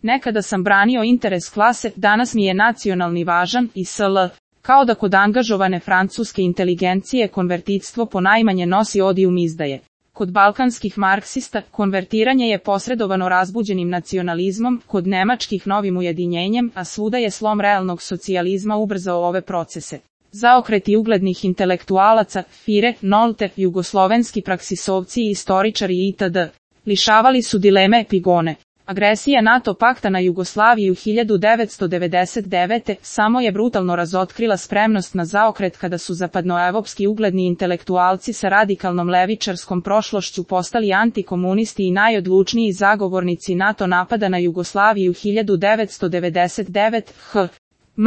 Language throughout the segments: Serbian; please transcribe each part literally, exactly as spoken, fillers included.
Nekada sam branio interes klase, danas mi je nacionalni važan i sl. Kao da kod angažovane francuske inteligencije konvertitstvo ponajmanje nosi odijum izdaje. Kod balkanskih marksista, konvertiranje je posredovano razbuđenim nacionalizmom, kod nemačkih novim ujedinjenjem, a svuda je slom realnog socijalizma ubrzao ove procese. Zaokreti uglednih intelektualaca, Fire, Nolte, jugoslovenski praksisovci i istoričari itd. Lišavali su dileme epigone. Agresija NATO pakta na Jugoslaviju hiljadu devetsto devedeset devete. samo je brutalno razotkrila spremnost na zaokret kada su zapadnoevropski ugledni intelektualci sa radikalnom levičarskom prošlošću postali antikomunisti i najodlučniji zagovornici NATO napada na Jugoslaviju hiljadu devetsto devedeset devete. H. M.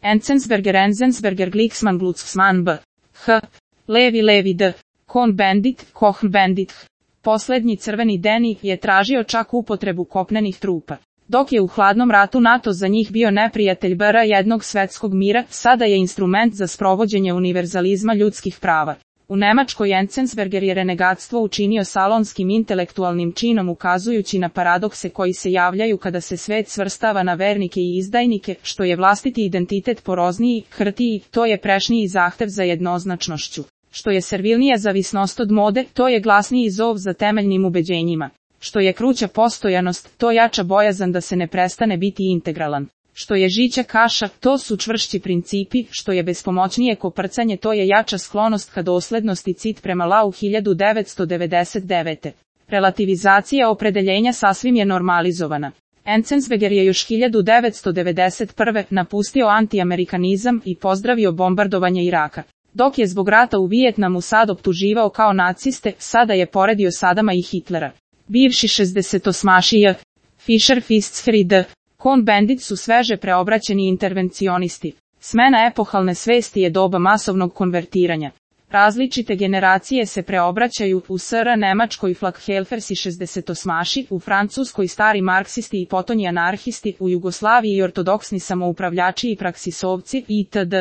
Enzensberger Enzensberger Glicksmann Glucksmann B. H. Levi Levi D. Cohn-Bendit, Cohn-Bendit. Poslednji crveni deni je tražio čak upotrebu kopnenih trupa. Dok je u hladnom ratu NATO za njih bio neprijatelj B R jednog svetskog mira, sada je instrument za sprovođenje univerzalizma ljudskih prava. U Nemačkoj Enzensberger je renegatstvo učinio salonskim intelektualnim činom ukazujući na paradokse koji se javljaju kada se svet svrstava na vernike i izdajnike, što je vlastiti identitet porozniji, hrtiji, to je prešniji zahtev za jednoznačnošću. Što je servilnija zavisnost od mode, to je glasniji zov za temeljnim ubeđenjima. Što je kruća postojanost, to jača bojazan da se ne prestane biti integralan. Što je žića kaša, to su čvršći principi, što je bespomoćnije koprcanje, to je jača sklonost ka doslednosti cit prema Lau hiljadu devetsto devedeset devete. Relativizacija opredeljenja sasvim je normalizovana. Enzensberger je još hiljadu devetsto devedeset prve. napustio antiamerikanizam i pozdravio bombardovanje Iraka. Dok je zbog rata u Vijetnamu sad optuživao kao naciste, sada je poredio Sadama i Hitlera. Bivši šezdesetosmašija, Fischer Fischer D. Cohn-Bendit su sveže preobraćeni intervencionisti. Smena epohalne svesti je doba masovnog konvertiranja. Različite generacije se preobraćaju, u S R Nemačkoj Flakhelfers i šezdesetosmaši, u Francuskoj stari marksisti i potonji anarhisti, u Jugoslaviji ortodoksni samoupravljači i praksisovci, itd.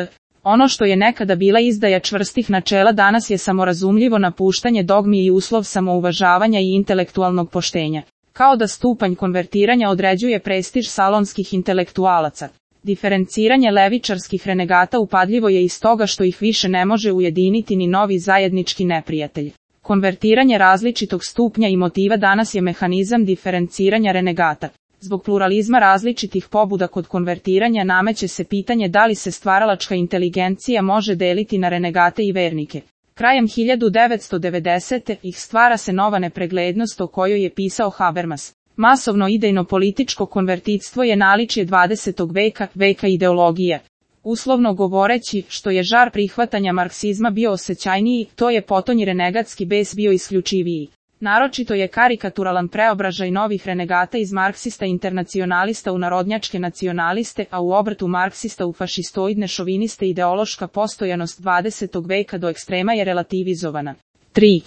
Ono što je nekada bila izdaja čvrstih načela danas je samorazumljivo napuštanje dogmi i uslov samouvažavanja i intelektualnog poštenja. Kao da stupanj konvertiranja određuje prestiž salonskih intelektualaca. Diferenciranje levičarskih renegata upadljivo je iz toga što ih više ne može ujediniti ni novi zajednički neprijatelj. Konvertiranje različitog stupnja i motiva danas je mehanizam diferenciranja renegata. Zbog pluralizma različitih pobuda kod konvertiranja nameće se pitanje da li se stvaralačka inteligencija može deliti na renegate i vernike. Krajem hiljadu devetsto devedesete. ih stvara se nova nepreglednost o kojoj je pisao Habermas. Masovno idejno političko konvertitstvo je naličje dvadesetog veka, veka ideologije. Uslovno govoreći, što je žar prihvatanja marksizma bio osjećajniji, to je potonji renegatski bes bio isključiviji. Naročito je karikaturalan preobražaj novih renegata iz marksista internacionalista u narodnjačke nacionaliste, a u obrtu marksista u fašistoidne šoviniste. Ideološka postojanost dvadesetog veka do ekstrema je relativizovana. tri.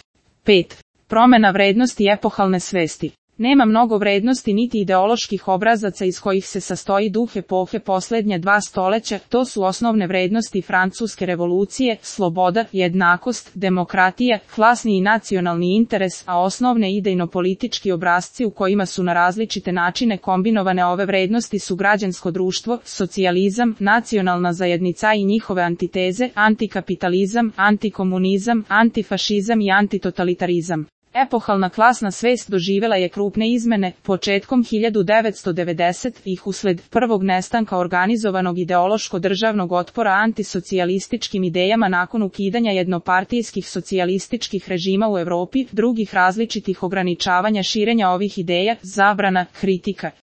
pet. Promena vrednosti epohalne svesti. Nema mnogo vrednosti niti ideoloških obrazaca iz kojih se sastoji duh epohe posljednje dva stoleća, to su osnovne vrednosti francuske revolucije, sloboda, jednakost, demokratija, klasni i nacionalni interes, a osnovne idejno-politički obrasci u kojima su na različite načine kombinovane ove vrednosti su građansko društvo, socijalizam, nacionalna zajednica i njihove antiteze, antikapitalizam, antikomunizam, antifašizam i antitotalitarizam. Epohalna klasna svest doživjela je krupne izmene, početkom hiljadu devetsto devedesetih usled prvog nestanka organizovanog ideološko-državnog otpora antisocijalističkim idejama nakon ukidanja jednopartijskih socijalističkih režima u Europi, drugih različitih ograničavanja širenja ovih ideja, zabrana, kritika.